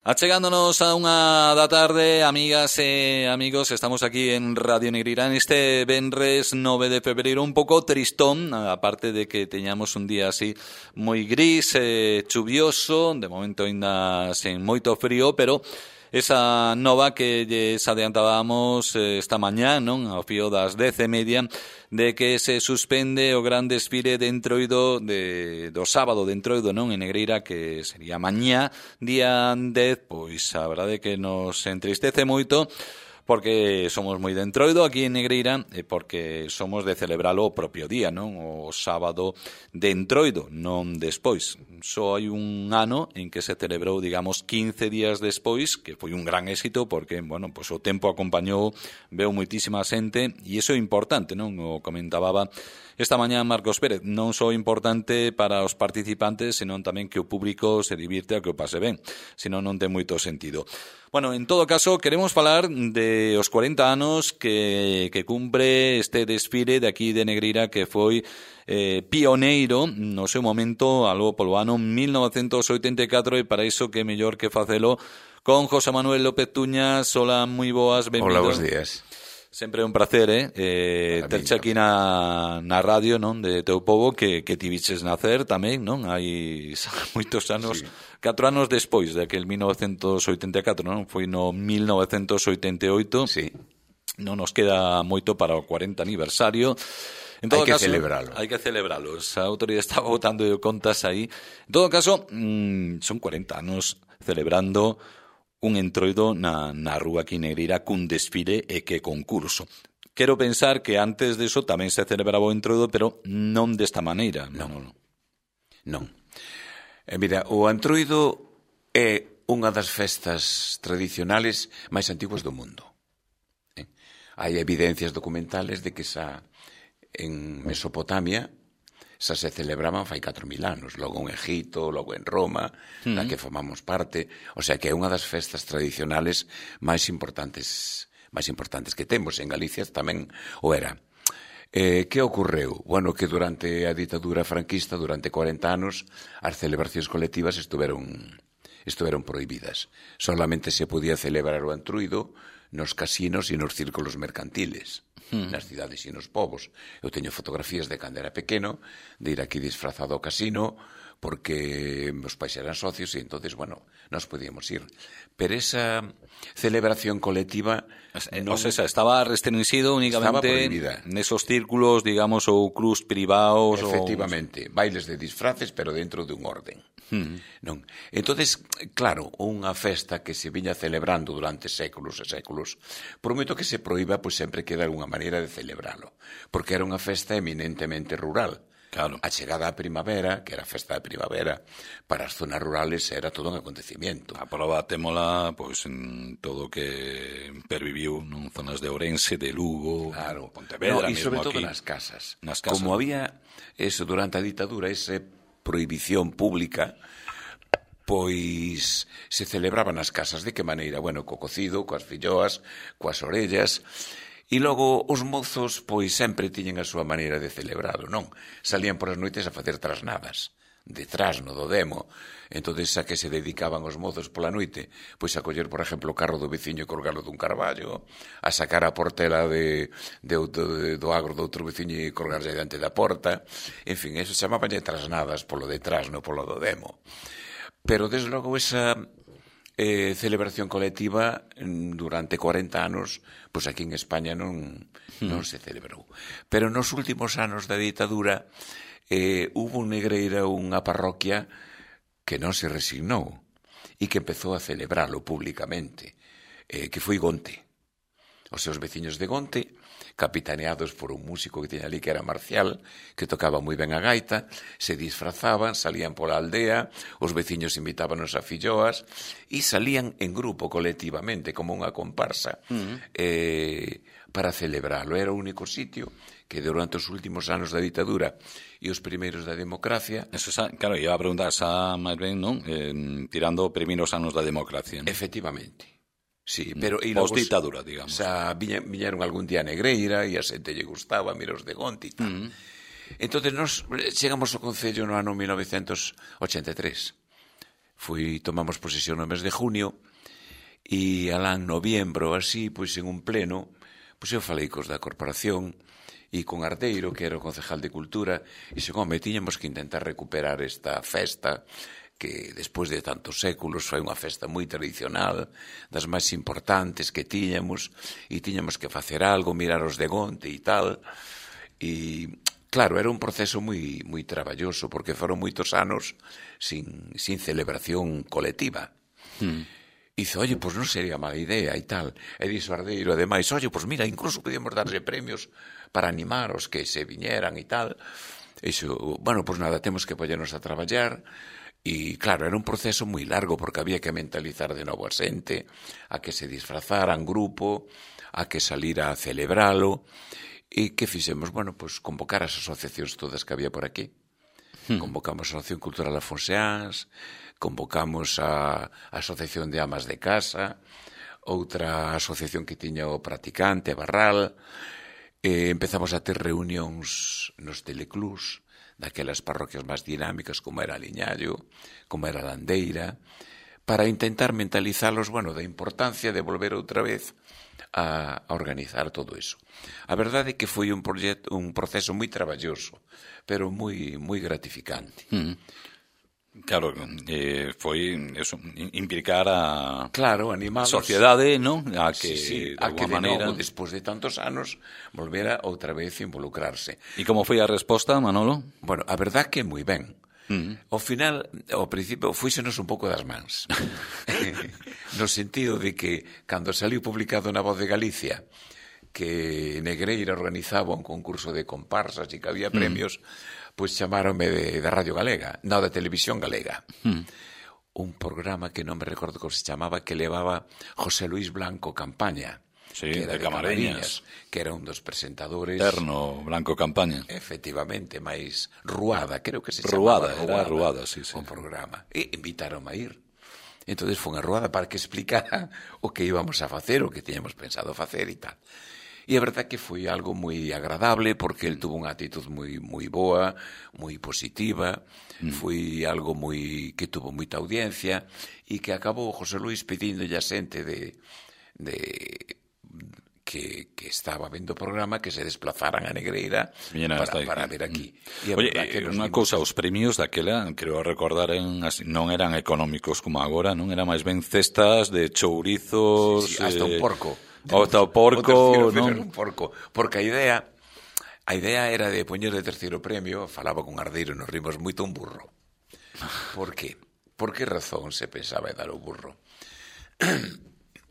Achegándonos a unha da tarde, amigas e amigos, estamos aquí en Radio Negreira neste venres 9 de febreiro, un pouco tristón, aparte de que teñamos un día así moi gris, chuvioso, de momento ainda sen moito frío, pero esa nova que lles adiantábamos esta mañá, non, ao fío das 10:30, de que se suspende o gran desfile de Entroido do sábado de Entroido, non, en Negreira, que sería mañá, día 10, pois a verdade que nos entristece moito, porque somos moi de Entroido aquí en Negreira e porque somos de celebralo o propio día, non? O sábado de Entroido, non despois. Só hai un ano en que se celebrou, digamos, 15 días despois, que foi un gran éxito porque, bueno, pues o tempo acompañou, veu moitísima xente e iso é importante, non? O comentaba esta mañá Marcos Pérez, non só importante para os participantes, senón tamén que o público se divirte e que o pase ben, senón non ten moito sentido. Bueno, en todo caso, queremos falar de os 40 anos que cumpre este desfile de aquí de Negreira, que foi pioneiro no seu momento, algo polo ano 1984, e para iso que mellor que facelo con José Manuel López Tuñas. Hola, moi boas, benvido. Hola, bons días. Sempre un placer, terche aquí na radio, non, de teu pobo, que ti viches nacer tamén, non? Hai moitos anos, sí. 4 anos despois daquel 1984, non? Foi no 1988. Sí. Non nos queda moito para o 40 aniversario. En todo hai que caso, celebralo. Hai que celebralo. A autoridade estaba botando contas aí. En todo caso, son 40 anos celebrando un Entroido na rúa aquí Negreira cun desfile e que concurso. Quero pensar que antes deso tamén se celebraba o Entroido, pero non desta maneira. Non. Mira, o Entroido é unha das festas tradicionales máis antiguas do mundo. Hai evidencias documentales de que xa en Mesopotamia xa se celebraban fai 4.000 anos, logo en Egipto, logo en Roma, da que formamos parte, o sea que é unha das festas tradicionales máis importantes que temos. En Galicia tamén o era. Que ocorreu? Bueno, que durante a ditadura franquista, durante 40 anos, as celebracións colectivas estuveron prohibidas. Solamente se podía celebrar o Entroido nos casinos e nos círculos mercantiles, nas cidades e nos povos. Eu teño fotografías de cando era pequeno, de ir aquí disfrazado ao casino, porque meus pais eran socios e entonces, bueno, nos podíamos ir. Pero esa celebración colectiva non... O sea, estaba restringido únicamente nesos círculos, digamos, ou clubs privados. Efectivamente, bailes de disfraces, pero dentro de un orden. Non. Entonces, claro, unha festa que se viña celebrando durante séculos e séculos, por moito que se proíba, pois sempre queda unha maneira de celebralo, porque era unha festa eminentemente rural. Claro. A chegada á primavera, que era a festa de primavera, para as zonas rurales era todo un acontecimiento. A prova témola, pois, en todo o que perviviu en zonas de Ourense, de Lugo, claro. Pontevedra, e sobre todo aquí. nas casas. Nas casas. Como había eso durante a ditadura, esa prohibición pública, pois se celebraba nas casas. De que maneira? Bueno, co cocido, coas filloas, coas orellas. E logo os mozos pois sempre tiñen a súa maneira de celebralo, non? Salían por as noites a facer trasnadas, de trasno, do demo. Entonces, a que se dedicaban os mozos pola noite? Pois a coller, por exemplo, o carro do veciño e colgalo dun carballo, a sacar a portela do agro do outro veciño e colgarlle diante da porta. En fin, eso chamabanlle trasnadas polo de trasno, polo do demo. Pero, desde logo, esa celebración colectiva durante 40 anos, pois aquí en España non se celebrou. Pero nos últimos anos da ditadura hubo en Negreira unha parroquia que non se resignou e que empezou a celebralo públicamente, que foi Gonte. Os seus veciños de Gonte, capitaneados por un músico que tiña ali que era Marcial, que tocaba moi ben a gaita, se disfrazaban, salían pola aldea, os veciños invitábanos a filloas e salían en grupo, colectivamente, como unha comparsa, para celebralo. Era o único sitio que durante os últimos anos da ditadura e os primeiros da democracia... Eso, claro, iba a preguntar, xa máis ben, non? Tirando primeiros anos da democracia, non? Efectivamente. Sí, pero post-ditadura, digamos. Xa viñeron algún día a Negreira e a xente lle gustaba, miros de Gonte e tal. Entón, nos chegamos ao Concello no ano 1983. tomamos posesión no mes de junio, e alá en noviembro, así, pois en un pleno, pois eu falei cos da corporación e con Ardeiro, que era o concejal de Cultura, e dixen, tiñamos que intentar recuperar esta festa que despois de tantos séculos foi unha festa moi tradicional, das máis importantes que tiñamos, e tiñamos que facer algo, mirar os de Gonte e tal. E, claro, era un proceso moi traballoso, porque foron moitos anos sin celebración colectiva. E dice, pois non sería mala idea e tal. E dixo Ardeiro, ademais, pois mira, incluso podíamos darlle premios para animar os que se viñeran e tal. E dixo, pois nada, temos que poñernos a traballar. E, claro, era un proceso moi largo, porque había que mentalizar de novo a xente, a que se disfrazara en grupo, a que salira a celebralo. E que fixemos? Pois convocar as asociacións todas que había por aquí. Convocamos a Asociación Cultural Afonseáns, convocamos a Asociación de Amas de Casa, outra asociación que tiña o Practicante, Barral, empezamos a ter reunións nos teleclús, daquelas parroquias máis dinámicas como era Liñallo, como era Landeira, para intentar mentalizalos, da importancia de volver outra vez a organizar todo eso. A verdade é que foi un proceso moi traballoso, pero moi gratificante. Claro, foi eso, implicar a animalos, sociedade, non? A que, de alguma maneira, despois de tantos anos, volvera outra vez a involucrarse. E como foi a resposta, Manolo? A verdade que moi ben. Ao final, ao principio, fuísenos un pouco das mans. No sentido de que, cando saliu publicado na Voz de Galicia, que Negreira organizaba un concurso de comparsas e que había premios, pois chamáronme de Radio Galega, non de Televisión Galega. Un programa que non me recordo como se chamaba, que levaba José Luis Blanco Campaña, que era de Camariñas, que era un dos presentadores. Terno Blanco Campaña. Efectivamente, máis Ruada, creo que se chamaba. Ruada, sí. O programa. E invitaron a ir. Entón, foi unha ruada para que explicara o que íbamos a facer, o que tiñamos pensado facer e tal. E a verdade que foi algo moi agradable, porque el tuvo unha actitud moi boa, moi positiva, foi algo que tuvo moita audiencia, e que acabou José Luis pedíndolle a xente que estaba vendo o programa que se desplazaran a Negreira para ver aquí. Oye, unha cousa, os premios daquela, creo recordar, non eran económicos como agora, non? Eran máis ben cestas de chourizos... Sí, hasta un porco. Hasta o porco, non? Un porco, porque a idea era de poñer de terceiro premio, falaba con Ardeiro, nos rimos moito, un burro. Por qué? Por que razón se pensaba en dar o burro?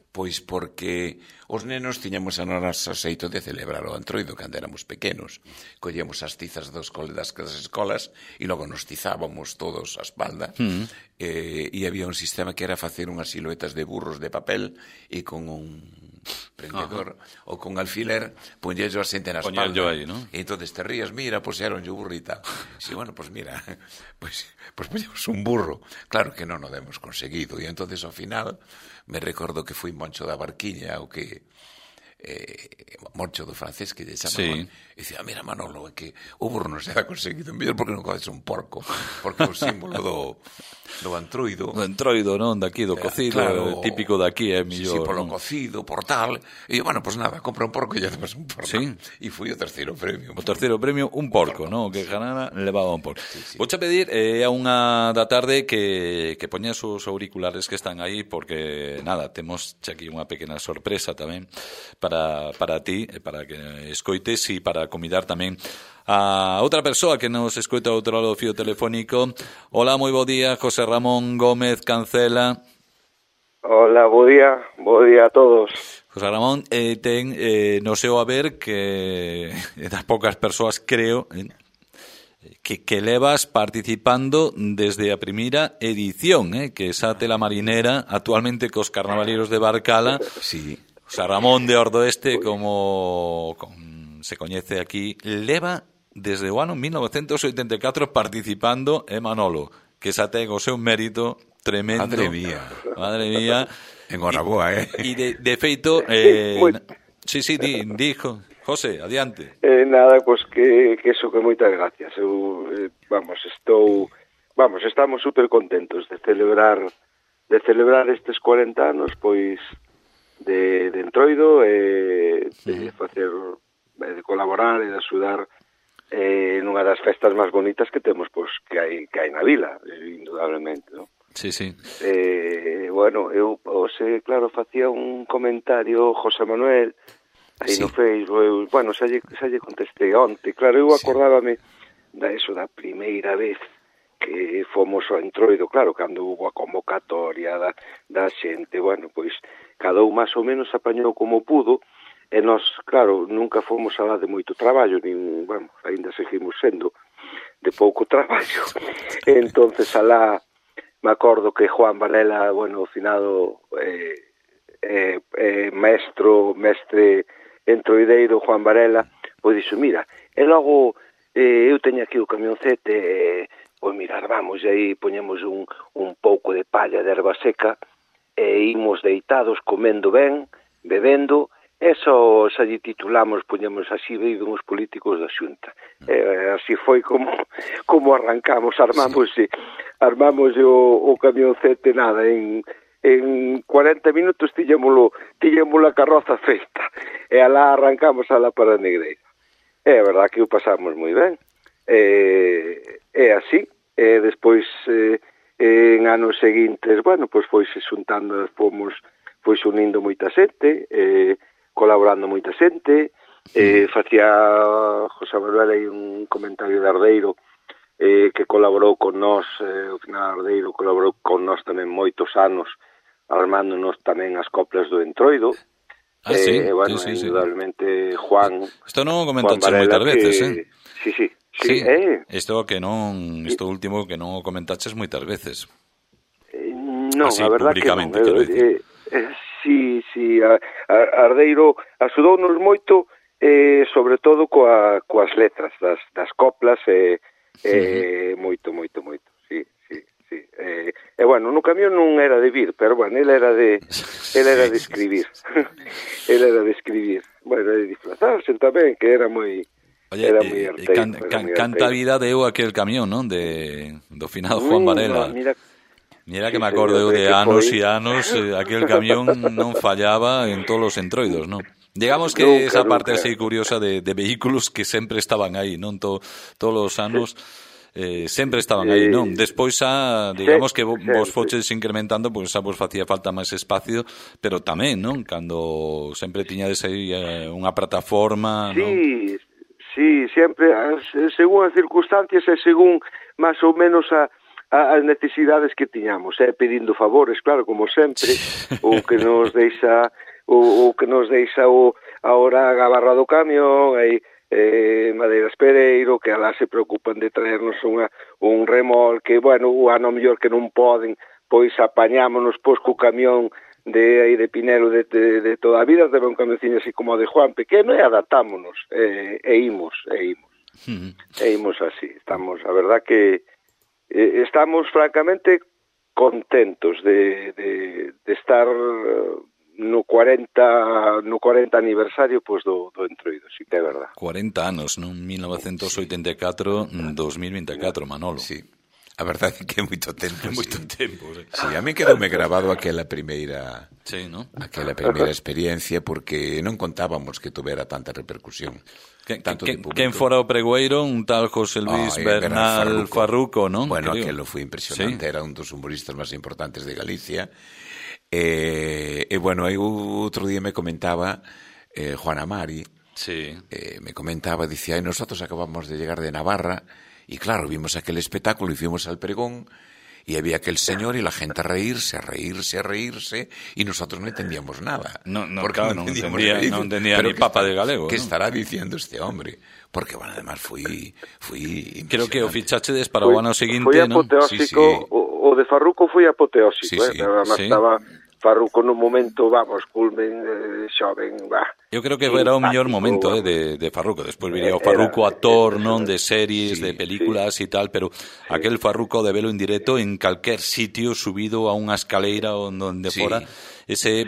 Pois porque os nenos tiñamos a nosa xeito de celebrar o Antroido cando éramos pequenos. Collíamos as tizas das escolas e logo nos tizábamos todos a espalda, e había un sistema que era facer unhas siluetas de burros de papel e con un prendedor ou con alfiler poñello a xente na espalda. Aí, ¿no? E entón te rías, mira, pois era un burrita. Si, pois mira, pois poñemos un burro. Claro que non o demos conseguido, e entón ao final me recordo que foi Moncho da Barquiña, o que Moncho do francés, que lle chamaban, e dicía, mira Manolo, é que o burro non se ha conseguido mellor porque non codes un porco, porque é o símbolo do Antroido. Do Antroido, non? Daqui, do cocido, claro, típico daqui, é mellor. Sí, polo cocido, por tal. E pois nada, compra un porco e lle damos un porco. Sí. E foi o terceiro premio. O terceiro premio, un porco, non? O que ganara, levaba un porco. Sí. Vouche pedir a unha da tarde que poñas os auriculares que están aí, porque, nada, temos aquí unha pequena sorpresa tamén para ti, para que escoites e para convidar tamén a outra persoa que nos escoita ao outro lado do fío telefónico. Hola, moi bo día, José Ramón Gómez Cancela. Hola, bo día a todos. José Ramón ten no seu haber que das poucas persoas, creo, que levas participando desde a primeira edición, que esa tela marinera, actualmente cos carnavaleiros de Barcala. Sí. José Ramón de Ordoeste, como se coñece aquí, leva desde o ano 1984 participando Manolo, que xa ten o seu mérito tremendo. Madre mía. Enhoraboa, E de feito... sí, dijo. José, adiante. Nada, pois que eso, que moitas gracias. Eu, estou vamos, estamos super contentos de celebrar estes 40 anos, pois, de Entroido, de facer, de colaborar e de axudar nunha das festas máis bonitas que temos, pois, que hai na vila, indudablemente, non? Sí, sí. Bueno, eu, claro, facía un comentario José Manuel aí no Facebook, bueno, xa lle contestei onte, claro, eu acordábame da primeira vez que fomos ao Entroido, claro, cando hubo a convocatoria da xente, bueno, pois, cada un máis ou menos apañou como pudo, e nós, claro, nunca fomos alá de moito traballo, nin, bueno, ainda seguimos sendo de pouco traballo, entonces alá me acordo que Juan Varela, bueno, o finado mestre entroideiro Juan Varela, pois dixo, mira, e logo eu teño aquí o camioncete, pois mirar, vamos, e aí poñemos un pouco de palla de erva seca, e imos deitados, comendo ben, bebendo, e xa lle titulamos, poñemos así, viven os políticos da Xunta. Así foi como arrancamos, armamos o camioncete, nada, en 40 minutos tiñamos a carroza feita, e alá arrancamos alá para a Negreira. É verdad que o pasamos moi ben, é así, e despois en anos seguintes, bueno, pois foise xuntando, fomos unindo moita xente, colaborando moita xente, facía José Manuel aí un comentario de Ardeiro que colaborou con nós, o final Ardeiro colaborou con nós tamén moitos anos, armándonos tamén as coplas do Entroido. Bueno, sí, indudablemente Juan... Isto non o comentaches moitas veces, Sí. Isto último que non o comentaches moitas veces. Non, a verdad que non. Sí, Ardeiro axudounos moito, sobre todo coas letras das coplas, moito, sí. E bueno, no camión non era de vir, pero bueno, ele era de escribir. Ele era de escribir. Bueno, de disfrazarse tamén, que era moi... Oye, canta vida deu aquel camión, non? Do finado Juan Varela. Mira que me acordo de anos e anos, aquel camión non fallaba en todos os entroidos, non? Digamos que esa parte así curiosa de vehículos que sempre estaban aí, non? Todos os anos sempre estaban aí, non? Despois digamos que vos foches incrementando, pois xa vos facía falta máis espacio, pero tamén, non? Cando sempre tiñades aí unha plataforma, non? Sí, sempre, según as circunstancias e según máis ou menos as necesidades que tiñamos, pedindo favores, claro, como sempre, o que nos deixa ahora a gabarra do camión, aí Madeiras Pereiro, que alá se preocupan de traernos un remolque, bueno, o ano mellor que non poden, pois apañámonos co camión de Pinelo de toda a vida, debe un camioncillo así como o de Juan pequeno, e adaptámonos, e imos así. Estamos, a verdad que estamos francamente contentos de estar no 40 aniversario pois do Entroido, si que é verdad. 40 anos, non? 1984-2024, Manolo. Sí. A verdade é que é moito tempo. Moito tempo, sí. Sí, a mí quedoume grabado aquela primeira experiencia, porque non contábamos que tuvera tanta repercusión. Quen fora o pregoeiro? Un tal José Luis Bernal Farruco, non? Bueno, aquelo foi impresionante, era un dos humoristas máis importantes de Galicia. E bueno, aí outro día me comentaba Juan Amari, me comentaba, dicía, nosotros acabamos de llegar de Navarra, y claro, vimos aquel espectáculo y fuimos al pregón y había aquel señor y la gente a reírse, y nosotros no entendíamos nada. Porque no entendía ni papa de galego. ¿Qué estará diciendo este hombre? Porque, bueno, además fui creo que o fichachedes para o ano seguinte, foi apoteósico, ¿no? Sí. O de Farruco foi apoteósico, además estaba Farruco nun momento, vamos, culmen, xoven, Eu creo que era o mellor momento de Farruco. Despois viría o Farruco actor, non, de series, de películas e tal, pero aquel Farruco de velo en directo en calquer sitio subido a unha escaleira onde fora,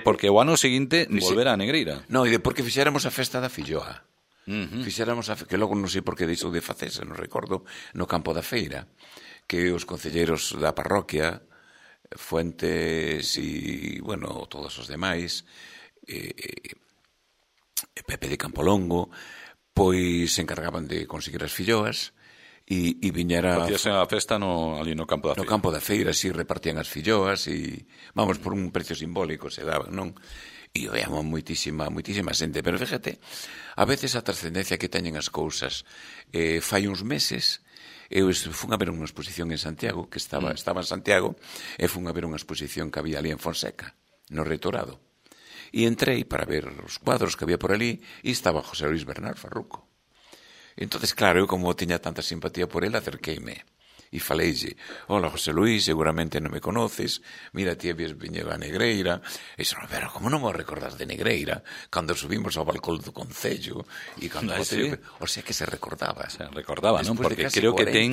porque o ano seguinte volvera a Negreira. No, e de porque fixéramos a festa da filloa. Fixéramos que logo non sei por que deixou de facerse, non recordo, no campo da feira, que os concelleiros da parroquia, Fuentes e, bueno, todos os demais, Pepe de Campolongo, pois se encargaban de conseguir as filloas e viñera... Facíase a festa ali no campo da feira. No campo da feira, si repartían as filloas e, vamos, por un precio simbólico se daban, non? E veamos moitísima xente, pero fíjate, a veces a trascendencia que teñen as cousas. Fai uns meses, eu fun a ver unha exposición en Santiago, que estaba en Santiago, e fun a ver unha exposición que había ali en Fonseca, no Reitorado. E entrei para ver os cuadros que había por ali e estaba José Luis Bernal Farruco. Entonces, claro, eu como tiña tanta simpatía por él, acerqueime e faleille: hola, José Luis, seguramente non me conoces, mira, ti habías viñedo a Negreira. E dixo, pero como non me recordas de Negreira, cando subimos ao balcón do Concello, e cando... O sea que se recordaba. Se recordaba, non? Porque creo que ten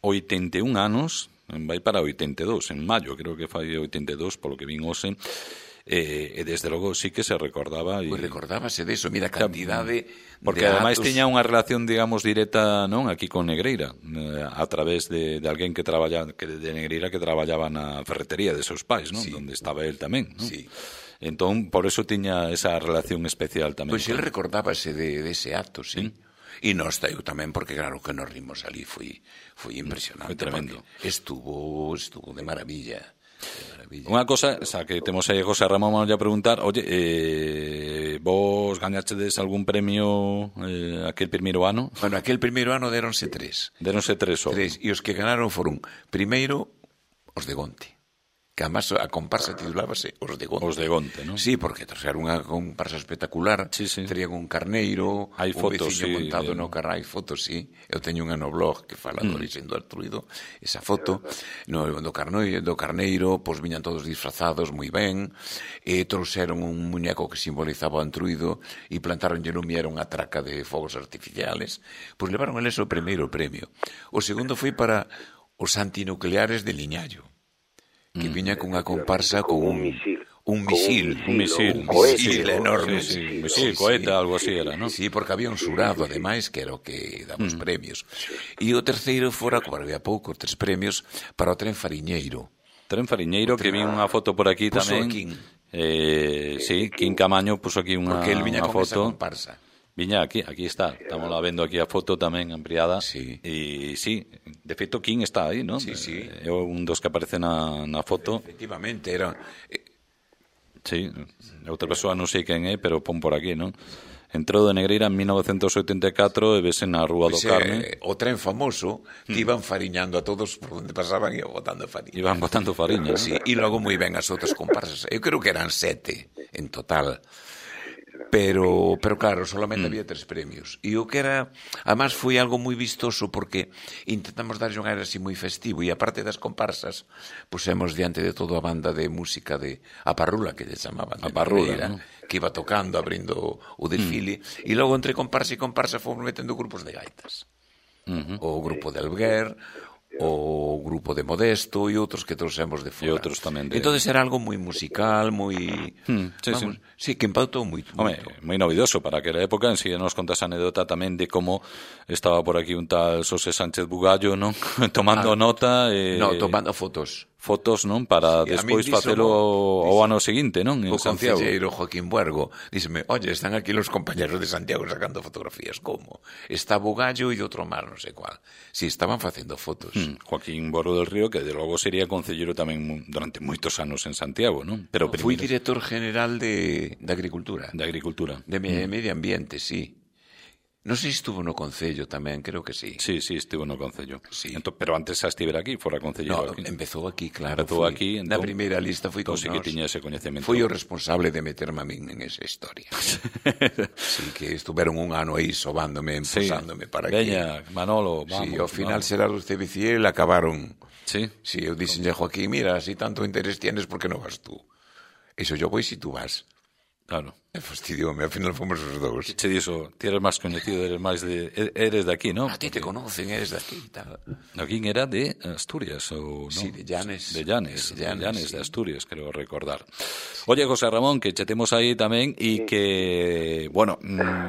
81 anos, vai para 82, en maio, creo que fai 82, polo que vin hoxe. E desde logo sí que se recordaba. Pois recordábase deso, mira a cantidade porque ademais tiña unha relación, digamos, directa, non, aquí con Negreira, a través de alguén que traballa de Negreira que traballaba na ferretería de seus pais, non? Sí. Donde estaba el tamén, non? Sí. Entón, por eso tiña esa relación especial tamén. Pois el recordábase dese acto, sí. E nós eu tamén, porque claro que nos rimos ali, foi impresionante. Foi tremendo. Estuvo de maravilla. Unha cosa, xa que temos aí a José Ramón, vamos a preguntar, oye, vos gañachedes algún premio aquel primeiro ano? Bueno, aquel primeiro ano deronse 3. Deronse 3 só. 3, e os que ganaron foron, primeiro, os de Gonte. Que además a comparsa titulábase Os de Gonte. Os de Gonte, non? Sí, porque era unha comparsa espectacular. Sí. Terían un carneiro, hai fotos, veciño montado no carro. Hai fotos, sí. Eu teño unha no blog que fala do orixen do Artruido. Esa foto do carneiro, pois viñan todos disfrazados moi ben. E trouxeron un muñeco que simbolizaba o Artruido e plantaronlle no miera unha traca de fogos artificiales. Pois levaron eles o primeiro premio. O segundo foi para os antinucleares de Liñallo, que viña cunha comparsa con un misil enorme. Un misil, coheta, algo así era, non? Sí, porque había un xurado, ademais, que era o que daba os premios. E o terceiro fora, como había pouco, 3 premios, para o tren Fariñeiro. Tren Fariñeiro, que vi unha foto por aquí tamén. Sí, Quín Camaño puso aquí unha foto. Porque el viña con esa comparsa. Viña aquí está, estamos vendo aquí a foto tamén ampliada. Sí. E sí, de feito Quín está aí, non? Sí. É un dos que aparece na foto. Efectivamente, era... Sí, outra persoa non sei quen é, pero pon por aquí, non? Entrou de Negreira en 1984 e vese na Rúa do Carme. O tren famoso que iban fariñando a todos por onde pasaban e botando fariña. Iban botando fariña, sí, e logo moi ben as outras comparsas. Eu creo que eran 7 en total. Pero claro, solamente había 3 premios. E o que era, además foi algo moi vistoso porque intentamos darlle un aire así moi festivo e aparte das comparsas pusemos diante de toda a banda de música de a Parrula, que lle chamaban, a Parrula, ¿no? Que iba tocando, abrindo o desfile, e logo entre comparsa e comparsa fomos metendo grupos de gaitas. O grupo de Alguer, o grupo de Modesto e outros que trouxemos de fora. E outros tamén de... Entonces era algo moi musical, moi... Sí, que impactou moito. Moi novidoso para aquela época. En si nos contas a anécdota tamén de como estaba por aquí un tal Xosé Sánchez Bugallo, non? Tomando nota... tomando fotos. Fotos, non? Para despois facelo ao ano seguinte, non? En o Santiago. concelleiro Joaquín Buergo díxeme, oye, están aquí los compañeros de Santiago sacando fotografías. Como? Está Bugallo e outro mar, non sei cual. Si, estaban facendo fotos. Joaquín Buergo del Río, que de logo sería concelleiro tamén durante moitos anos en Santiago, non? Pero fui director general de Agricultura. De Agricultura. De Medio Ambiente, sí. Non sei se estuvo no Concello tamén, creo que sí. Sí, estuvo no Concello. Sí. Pero antes xa estivera aquí, fora concelleiro aquí. Empezou aquí, claro. Empezou aquí, na primeira lista foi con nós. Sí que tiña ese coñecemento. Foi o responsable de meterme a min en esa historia. Sí, que estuveron un ano aí sobándome, emposándome para que... Veña, Manolo, vamos. Sí, ao final será usted Biciel, acabaron... Sí. Sí, eu dixenlle a Joaquín, mira, si tanto interés tienes, por que non vas tú? Eso yo voy si tú vas. Claro. E fastidioume, ao final fomos os dous. Que che dixo, ti eres máis coñecido, eres de aquí, non? A ti te conocen, eres de aquí e tal. Aquí era de Asturias, ou non? Sí, de Llanes. De Llanes, sí. de Asturias, creo recordar. Oye, José Ramón, que che temos aí tamén e que, bueno,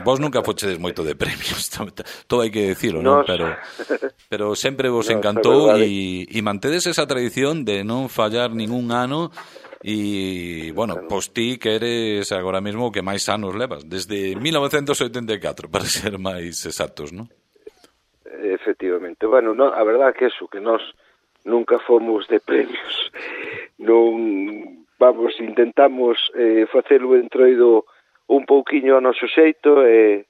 vos nunca fochedes moito de premios, todo hai que decirlo, non? Pero sempre vos encantou e mantedes esa tradición de non fallar ningún ano. E, bueno, pois ti que eres agora mesmo o que máis anos levas, desde 1984, para ser máis exactos, non? Efectivamente. Bueno, no, a verdad que eso, que nós nunca fomos de premios. Non, vamos, intentamos facer o entroido un pouquiño ao noso xeito e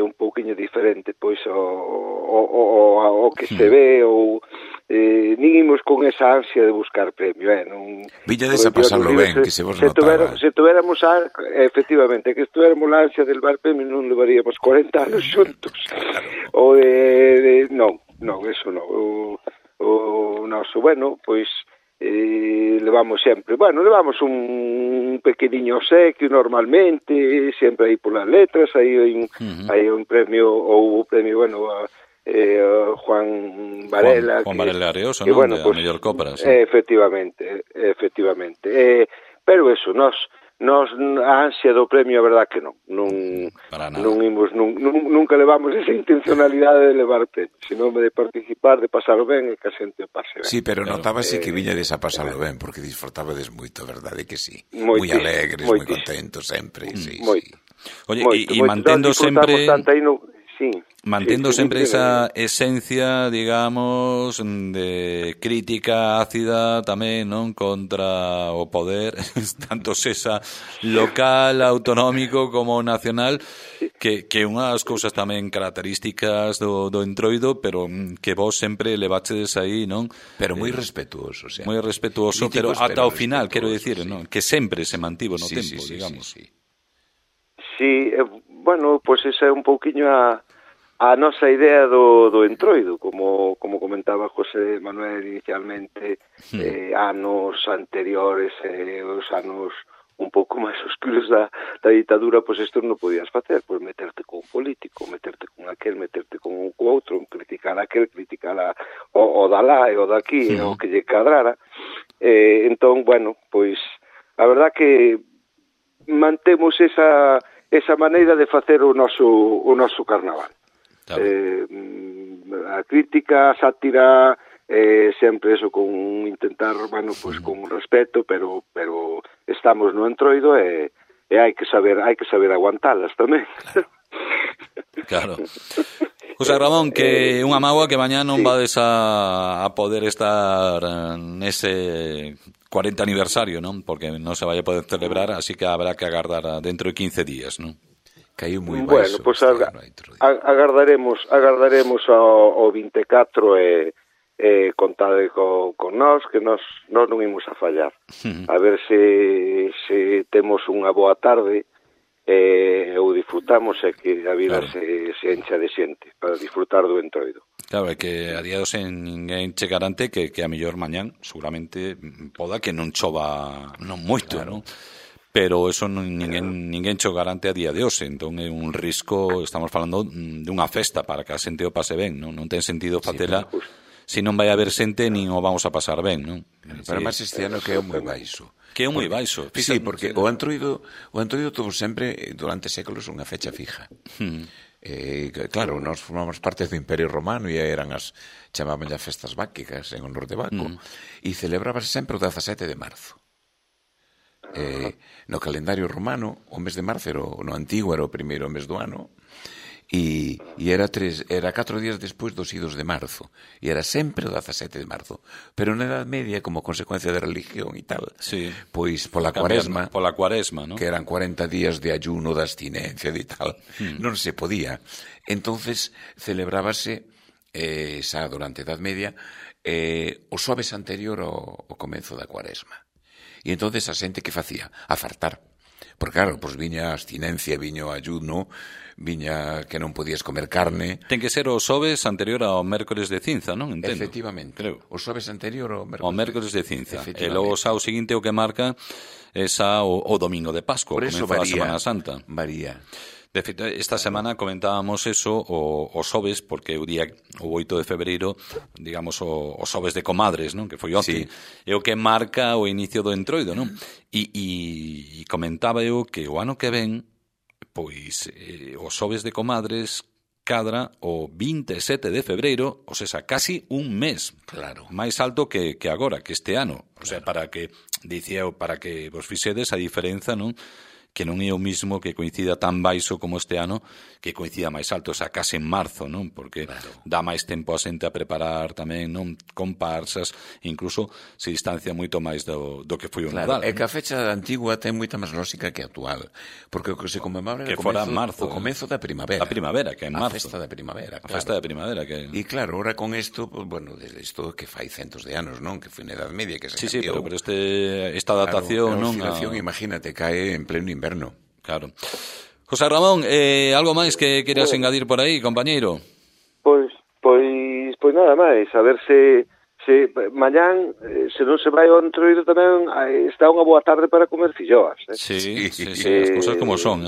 un pouquiño diferente, pois, o que se ve, ou nin imos con esa ansia de buscar premio, non. Viñades a pasarlo ben, que se vos notaba. Se tuviéramos efectivamente, que estuviéramos la ansia del bar premio, non levaríamos 40 anos xuntos. O non, eso non. O noso, bueno, pois levamos un pequeniño obsequio normalmente, sempre aí polas letras, aí un premio, ou o premio, bueno, Juan Varela, Juan Varela Areoso, non? Bueno, pues, a mellor cópera, sí. Efectivamente. Pero eso, nós a ansia do premio, a verdad que non imos, nunca levamos esa intencionalidade de levar premio, senón de participar, de pasarlo ben e que a xente pase ben. Sí, pero notábase que viñades a pasarlo ben, porque disfrutabades moito, verdade que sí? Moi alegres, moi contentos sempre, sí. Oye, e mantendo sempre... Mantendo sempre esa esencia, digamos, de crítica ácida tamén, non? Contra o poder, tanto sesa local, autonómico como nacional, que unhas cousas tamén características do entroido, pero que vos sempre levachedes aí, non? Pero moi respetuoso, xa. Moi respetuoso, pero ata o final, quero dicir, non? Que sempre se mantivo no tempo, digamos. Sí, bueno, pois esa é un pouquiño a nosa idea do entroido, como comentaba José Manuel inicialmente, anos anteriores, os anos un pouco máis oscuros da ditadura, pois isto non podías facer, pois meterte con un político, meterte con aquel, meterte con outro, criticar aquel, criticar o da lá e o daqui, o que lle cadrara. Entón, bueno, pois a verdad que mantemos esa maneira de facer o noso carnaval. Claro. A crítica, a sátira, sempre eso con intentar, bueno, pues con un respeto, pero estamos no entroido e hai que saber aguantalas tamén. Claro. José Ramón, que unha mágoa que mañá non vades a poder estar nese 40 aniversario, non? Porque non se vai a poder celebrar, así que habrá que agardar dentro de 15 días, non? Caiu moi baixo. Bueno, pois agardaremos ao 24 e contade con nós, que nós non imos a fallar. A ver se temos unha boa tarde ou disfrutamos e que a vida se encha de xente para disfrutar do entroido. Claro, é que a día dos ninguén che garante que a mellor mañán seguramente poda que non chova non moito, claro. Non? Pero eso ninguén cho garante a día de hoxe, entón é un risco, estamos falando dunha festa para que a xente o pase ben, non ten sentido facela se non vai haber xente nin o vamos a pasar ben, non? Pero máis este ano que é moi baixo. Que é moi baixo. Sí, porque o entroido tuvo sempre durante séculos unha fecha fija. Claro, nós formamos parte do Imperio Romano e eran chamaban as festas báquicas en honor de Baco e celebrábase sempre o 17 de marzo. No calendario romano o mes de marzo no antigo era o primeiro mes do ano e era 4 días despois dos idos de marzo e era sempre o 17 de marzo, pero na Edad Media, como consecuencia da religión e tal, pois pola cuaresma, non? Que eran 40 días de ayuno, de abstinencia e tal, non se podía. Entonces celebrábase xa durante a Edad Media o xoves anterior ao comezo da cuaresma. E entonces a xente que facía? A fartar. Porque claro, pois viña a abstinencia, viña o ayuno, viña que non podías comer carne. Ten que ser o xoves anterior ao mércores de cinza, non? Entendo. Efectivamente. Creo. O xoves anterior ao mércores de cinza. E logo xa o seguinte o que marca esa o domingo de Pascua, por eso comeza a Semana Santa. Varía. De feito, esta semana comentábamos eso o xoves, porque o 8 de febreiro, digamos, o xoves de Comadres, non? Que foi onte, é o que marca o inicio do Entroido, non? E comentaba eu que o ano que ven, pois, o xoves de Comadres cadra o 27 de febreiro, ou seja, casi un mes, claro, máis alto que agora, que este ano. O sea, para que, dicía eu, para que vos fixedes a diferenza, non? Que non é o mismo que coincida tan baixo como este ano, que coincida máis alto, o sea, case en marzo, non? Porque dá máis tempo a xente a preparar tamén, non? Comparsas, incluso se distancia moito máis do que foi o Nadal. É que a fecha antigua ten moita máis lógica que actual, porque o que se conmemora é o comezo da primavera. A primavera, que é en marzo. A festa da primavera, claro. A festa da primavera, que... E claro, ahora con isto, pues, bueno, desde isto que fai centos de anos, non? Que foi na Edad Media que se cambiou. Sí, pero esta datación, claro, non? A oscilación, imagínate, cae en pleno inverno. Claro. José Ramón, algo máis que queras engadir por aí, compañeiro? Pois nada máis, a ver se mañán, se non se vai ao Entroido tamén, está unha boa tarde para comer filloas. Sí, as cousas como son,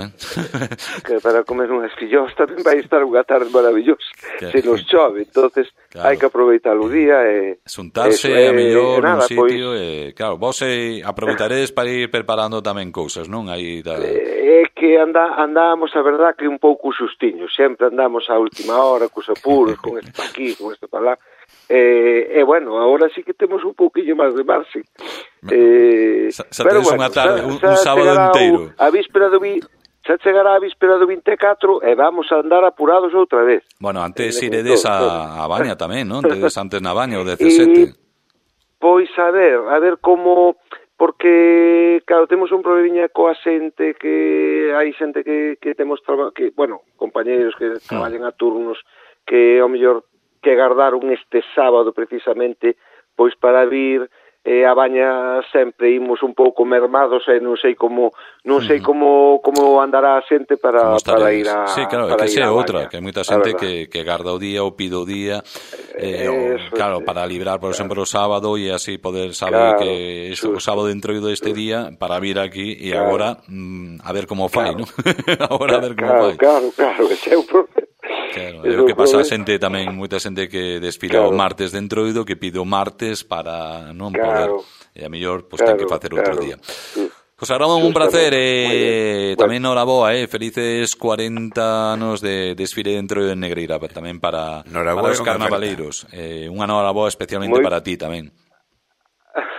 que para comer unhas filloas tamén vai estar unha tarde maravillosa. Se nos chove, entonces hai que aproveitar o día e xuntarse a mellor nun sitio e claro, vos aproveitaredes para ir preparando tamén cousas, non? Aí é que andamos, a verdad, que un pouco xustiños, sempre andamos á última hora cos apuros, con isto pa aquí, con isto pa lá. Bueno, agora sí que temos un pouquinho máis de marxe. Xa tedes unha tarde, un sábado inteiro. A víspera do xa chegará a víspera do 24 e vamos a andar apurados outra vez. Bueno, antes iredes a Baña tamén, non? Tedes antes na Baña o 17. Pois a ver como... Porque, claro, temos un problemiña coa xente que hai xente que temos que, bueno, compañeiros que traballan a turnos que ao mellor que agardaron este sábado precisamente pois para vir a Baña sempre imos un pouco mermados e non sei como andará a xente para ir a sí, claro, que sea outra, que hai moita xente que garda o día ou pide o día claro, para librar, por exemplo, o sábado e así poder saber que o sábado dentro deste día para vir aquí e agora a ver como fai, non? Agora a ver como fai. Claro, ese é o problema. Claro, é o que pasa a xente tamén, moita xente que desfila o martes de Entroido, que pide o martes para non poder, e a mellor ten que facer outro día. José Ramón, un placer, tamén noraboa, felices 40 anos de desfile de Entroido en Negreira, tamén para os carnavaleiros, unha noraboa especialmente para ti tamén.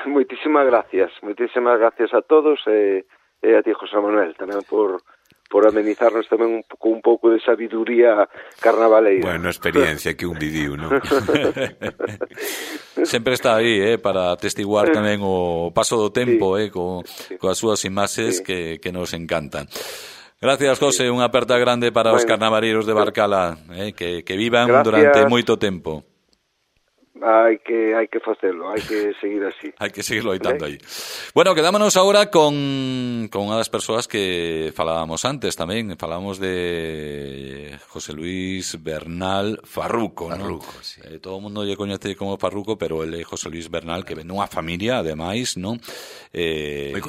Moitísimas gracias a todos e a ti, José Manuel, tamén por amenizarnos tamén un pouco de sabiduría carnavaleira. Bueno, experiencia que un viviu, non? Sempre está aí, para testiguar tamén o paso do tempo, coas súas imaxes que nos encantan. Gracias, José, unha aperta grande para os carnavaleiros de Barcala, que vivan durante moito tempo. Hai que facelo, hai que seguir así. Hai que seguir loitando aí. Bueno, quedámonos agora con unha das persoas que falábamos antes tamén. Falábamos de José Luis Bernal Farruco, ¿no? Sí. Todo o mundo lle coñece como Farruco, pero ele é José Luis Bernal, que ven unha familia, ademais, non? Moi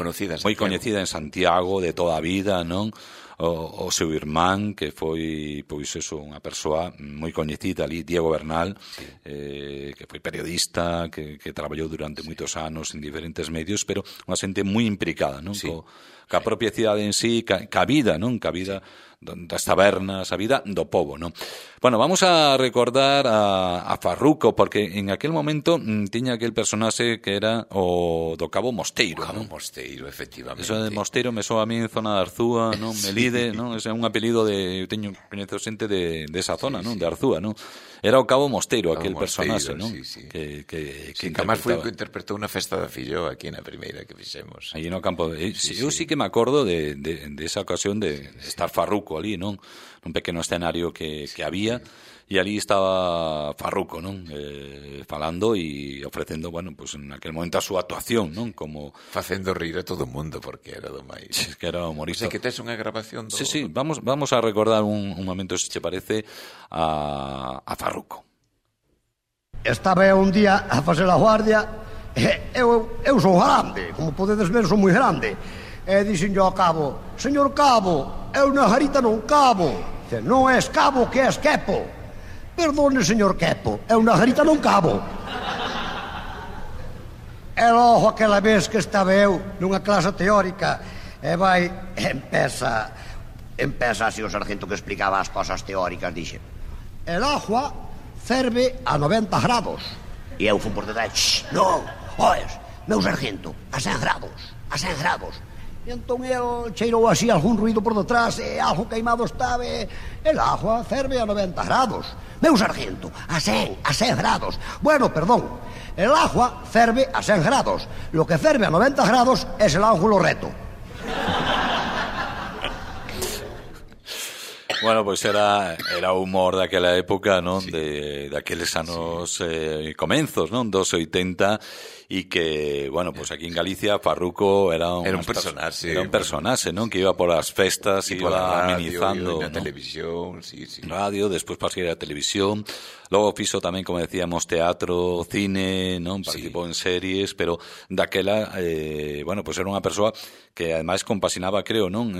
coñecida en Santiago de toda a vida, non? O seu irmán, que foi, pois eso, unha persoa moi coñecida ali, Diego Bernal, que foi periodista, que traballou durante moitos anos en diferentes medios, pero unha xente moi implicada, non? Ca propia cidade en sí, ca vida, non? Ca vida das tabernas, a vida do pobo, non? Bueno, vamos a recordar a Farruco, porque en aquel momento tiña aquel personaxe que era o do Cabo Mosteiro, non? Mosteiro, efectivamente. Eso de Mosteiro me soa a mí en zona de Arzúa, non? Melide, non? Ese é un apelido eu coñezo xente de esa zona, non? De Arzúa, non? Era o Cabo Mosteiro, aquel personaxe, non? Que además foi o que interpretou na festa da Filloa aquí na primeira que fixemos. Aí no campo eu sí que me acordo de esa ocasión de estar Farruco ali, non? Un pequeno escenario que había e ali estaba Farruco, non? Falando e ofrecendo, bueno, pues en aquel momento a súa actuación, non? Como facendo rir a todo o mundo porque era do máis. Que era humorista. Sei que tes unha grabación do... Sí, vamos a recordar un momento, se te parece, a Farruco. Estaba un día a facer a guardia Eu sou grande, como podedes ver, sou moi grande. E dixen yo ao cabo: señor cabo, eu na garita non cabo. Dice: non és cabo, que és quepo. Perdone, señor quepo, eu na garita non cabo. E logo aquela vez que estaba eu nunha clase teórica e empeza así o sargento que explicaba as cosas teóricas. Dixe: el agua ferve a 90 grados. E eu fui por detrás: non, oes, meu sargento, a 100 grados, a 100 grados. E entón el cheirou así algún ruido por detrás e algo queimado estaba. El agua ferve a 90 grados. Meu sargento, a 100 grados. Bueno, perdón, el agua ferve a 100 grados. Lo que ferve a 90 grados es el ángulo recto. Bueno, pois era o humor daquela época, non? Sí. Daqueles anos comenzos, non? Dos 80, e que, bueno, pois aquí en Galicia Farruco era un personaxe. Era un personaxe, non? Que iba por as festas, iba amenizando, na televisión, sí. Radio, despois pasou a televisión. Logo fixo tamén, como decíamos, teatro, cine, non? Participou en series, pero daquela, bueno, pois era unha persoa que ademais compasinaba, creo, non?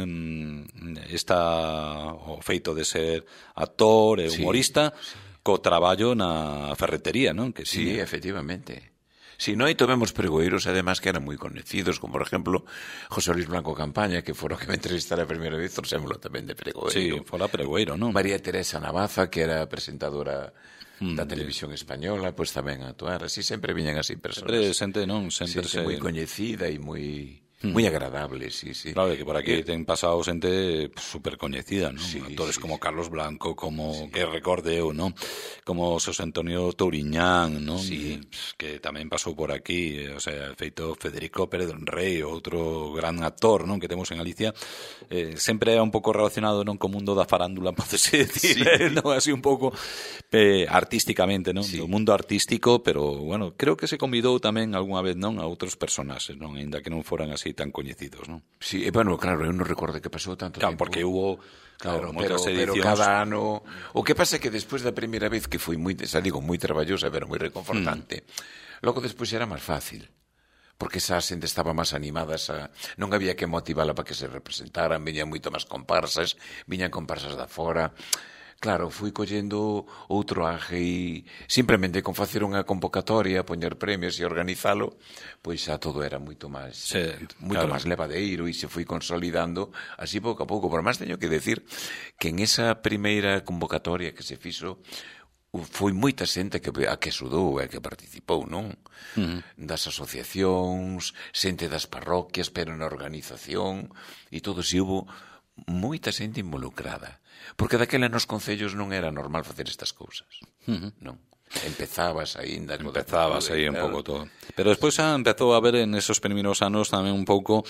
O feito de ser actor e humorista co traballo na ferretería, non? Que sí, efectivamente. Si non, aí tomemos pregoeiros, además, que eran moi conocidos, como, por exemplo, José Luis Blanco Campaña, que fora que me entrevistara a primeira vez, trouxémolo tamén de pregoeiro. Sí, fora pregoeiro, non? María Teresa Navaza, que era presentadora da televisión española, pois tamén a actuar. Así sempre viñan así personas. Sempre, non? Sempre moi coñecida e moi agradable, sí. Claro, que por aquí ten pasado xente super coñecida, non? Sí, actores como Carlos Blanco, como que recorde eu, non? Como Xosé Antonio Touriñán, non? Sí. Que tamén pasou por aquí, o sea, feito Federico Pérez Rey, outro gran actor, non? Que temos en Galicia, sempre é un pouco relacionado, non? Co mundo da farándula, podese decir, non? Así un pouco artísticamente, non? Sí. O mundo artístico, pero, bueno, creo que se convidou tamén algunha vez, non? A outros personaxes, non? Ainda que non foran así tan coñecidos, non? Sí, bueno, claro, eu non recordo que pasou tanto tempo. Porque hubo, claro, moitas edicións. Pero cada ano... O que pasa é que despois da primeira vez, que foi moi traballosa, pero moi reconfortante, logo despois era máis fácil, porque esa xente estaba máis animada, non había que motivala para que se representaran, viñan moito máis comparsas, viñan comparsas da fora. Claro, fui collendo outro aje e simplemente con facer unha convocatoria, poñer premios e organizalo, pois xa todo era moito máis máis levadeiro e se foi consolidando así pouco a pouco. Por máis teño que decir que en esa primeira convocatoria que se fixo foi moita xente a que sudou e que participou, non? Das asociacións, xente das parroquias, pero na organización e todo, si hubo moita xente involucrada, porque daquela nos concellos non era normal facer estas cousas, non? Empezabas aí un pouco todo, pero despois xa empezou a ver en esos primeiros anos tamén un pouco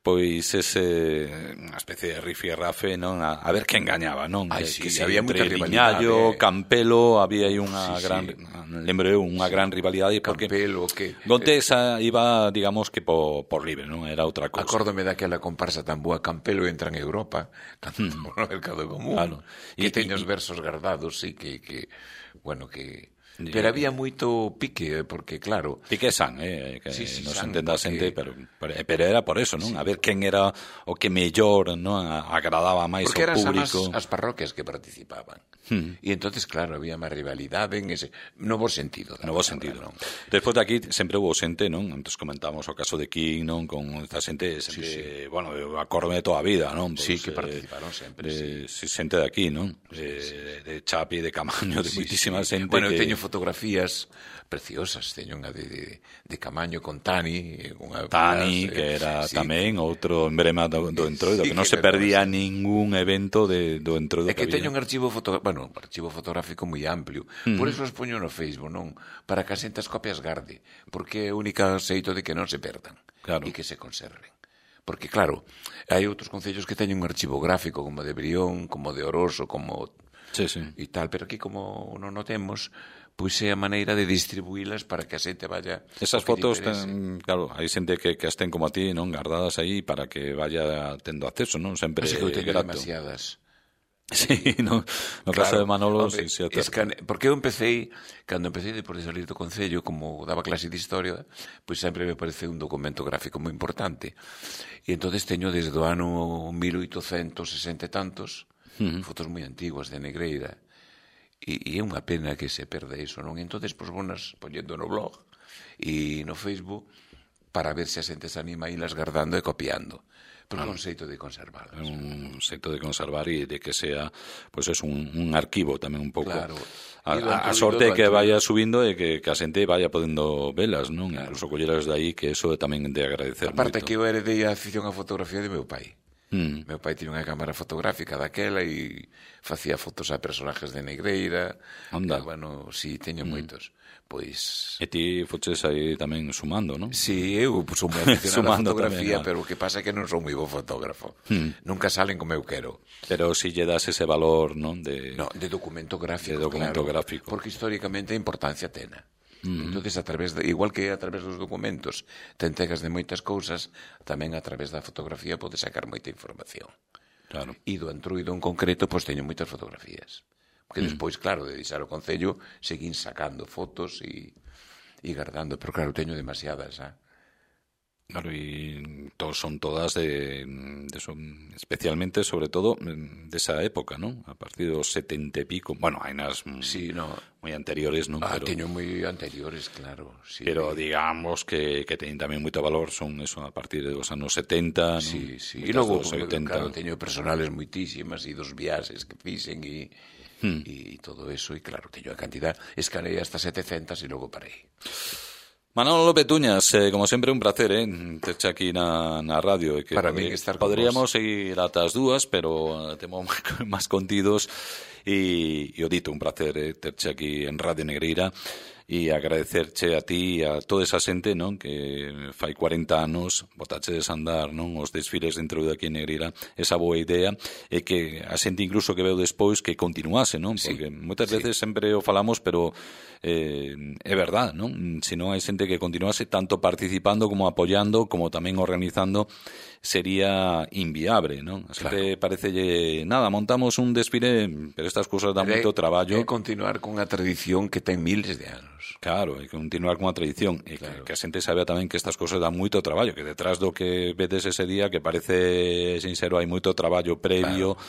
pois unha especie de rifirrafe, non? A ver quen gañaba, non? Sí, había moita rivalidade. Viñallo, Campelo, había aí unha gran, lembro eu, unha gran rivalidade, porque Campelo, que Gontesa iba, digamos, que por libre, non? Era outra cousa. Acórdome daquela comparsa tan boa, Campelo entra en Europa, cantando por no mercado común, que teño os versos guardados, sí, que bueno, que... Pero había moito pique, porque claro... Pique san, que non se entenda a xente, pero era por eso, non? A ver quen era o que mellor, non? Agradaba máis ao público. Porque eran as parroquias que participaban. E entonces, claro, había máis rivalidade en ese novo sentido. Non? Despois de aquí sempre houve xente, non? Entón comentábamos o caso de King, non? Con esta xente, bueno, eu acordome toda a vida, non? Sí, que participaron sempre, xente de aquí, non? De Chapi, de Camaño, de moitísima xente. Bueno, eu teño fotografías preciosas, teño unha de Camaño con Tani, que era tamén outro emblema do Entroido, que non se perdía ningún evento do Entroido. É que teño un archivo fotográfico moi amplio, por eso os poño no Facebook, non? Para que a xente as copias garde, porque é o único xeito de que non se perdan e que se conserven. Porque, claro, hai outros concellos que teñen un archivo gráfico, como de Brión, como de Oroso, como... e tal, pero aquí como non o temos, pois é a maneira de distribuílas para que a xente vaya... Esas fotos, claro, hai xente que as ten como a ti, non? Guardadas aí para que vaya tendo acceso, non? Sempre grato. Demasiadas. Sí, no caso de Manolo, hombre, sí, porque eu cando empecé depois de salir do Concello, como daba clase de historia, pois sempre me pareceu un documento gráfico moi importante. E entonces teño desde o ano 1860 e tantos, fotos moi antiguas de Negreira, e é unha pena que se perde iso, non? E entonces, pois, vonas poñendo no blog e no Facebook para ver se a xente se anima a ilas guardando e copiando. Porque é un xeito de conservarlas. Un xeito de conservar e de que sea, pois é un arquivo tamén un pouco. Claro. A sorte é que vaya subindo e que a xente vaya podendo velas, non? Claro. Incluso colleras de aí, que eso tamén de agradecer moito. Aparte que eu heredei a afición á fotografía de meu pai. Meu pai tiña unha cámara fotográfica daquela e facía fotos a personajes de Negreira. Anda. Bueno, si, teño moitos. Pois... E ti foches aí tamén sumando, non? Si, eu sou moi aficionado á fotografía, tamén, pero o que pasa é que non sou moi bo fotógrafo. Nunca salen como eu quero. Pero si lle das ese valor, non? De documento gráfico, de documento claro, gráfico. Porque históricamente a importancia tena. Entonces, igual que a través dos documentos te entegas de moitas cousas, tamén a través da fotografía podes sacar moita información. Claro. E do Entruido en concreto, pois teño moitas fotografías. Porque despois, claro, de deixar o Concello, seguín sacando fotos e guardando, pero claro, teño demasiadas, Claro, e son todas especialmente, sobre todo, desa época, non? A partir dos 70 e pico. Bueno, hai nas moi anteriores, non? Teño moi anteriores, claro. Sí. Pero digamos que teñen tamén moito valor, son eso, a partir dos anos 70, non? Sí. E logo, claro, teño personales moitísimas e dos viaxes que fixen e todo eso, e claro, teño a cantidad, escalei hasta 700 e logo parei. Manolo López Tuñas, como sempre un placer, terche aquí na radio. Que para mí estar con poderíamos vos. seguir ata as dúas, pero temos máis contidos e o dito, un placer terche aquí en Radio Negreira e agradecerche a ti e a toda esa xente, non, que fai 40 anos botachedes a andar, non, os desfiles dentro de aquí en Negreira, esa boa idea, e que a xente incluso que veu despois que continuase, non, porque moitas veces sempre o falamos, pero é verdad, non? Se non hai xente que continuase tanto participando como apoiando, como tamén organizando, sería inviable, non? A xente parecelle, nada, montamos un desfile, pero estas cousas dan moito traballo. É continuar con a tradición que ten miles de anos. Claro, é continuar con a tradición e que a xente sabe tamén que estas cousas dan moito traballo, que detrás do que vedes ese día, que parece sincero, hai moito traballo previo,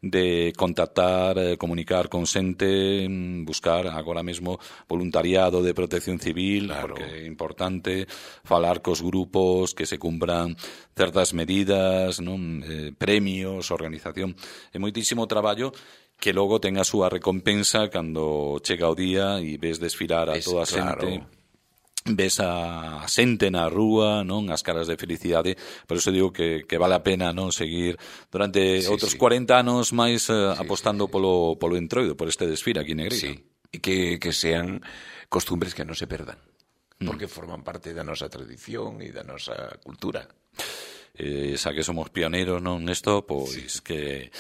de contactar, comunicar con xente, buscar agora mesmo voluntariado de protección civil, porque é importante falar cos grupos, que se cumpran certas medidas, non, premios, organización. É moitísimo traballo que logo ten a súa recompensa cando chega o día e ves desfilar a toda a xente. Ves a xente na rúa, non, as caras de felicidade. Por eso digo que vale a pena, non, seguir durante outros 40 anos máis apostando polo Entroido, por este desfile aquí en Negreira. Sí, e que sean costumbres que non se perdan, porque forman parte da nosa tradición e da nosa cultura. Xa que somos pioneiros, non, nesto, pois que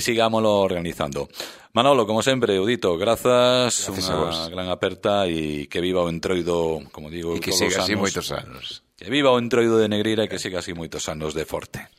sigámoslo organizando. Manolo, como sempre, Udito, grazas unha gran aperta e que viva o Entroido, como digo, e que siga así moitos anos. Que viva o Entroido de Negreira e que siga así moitos anos de forte.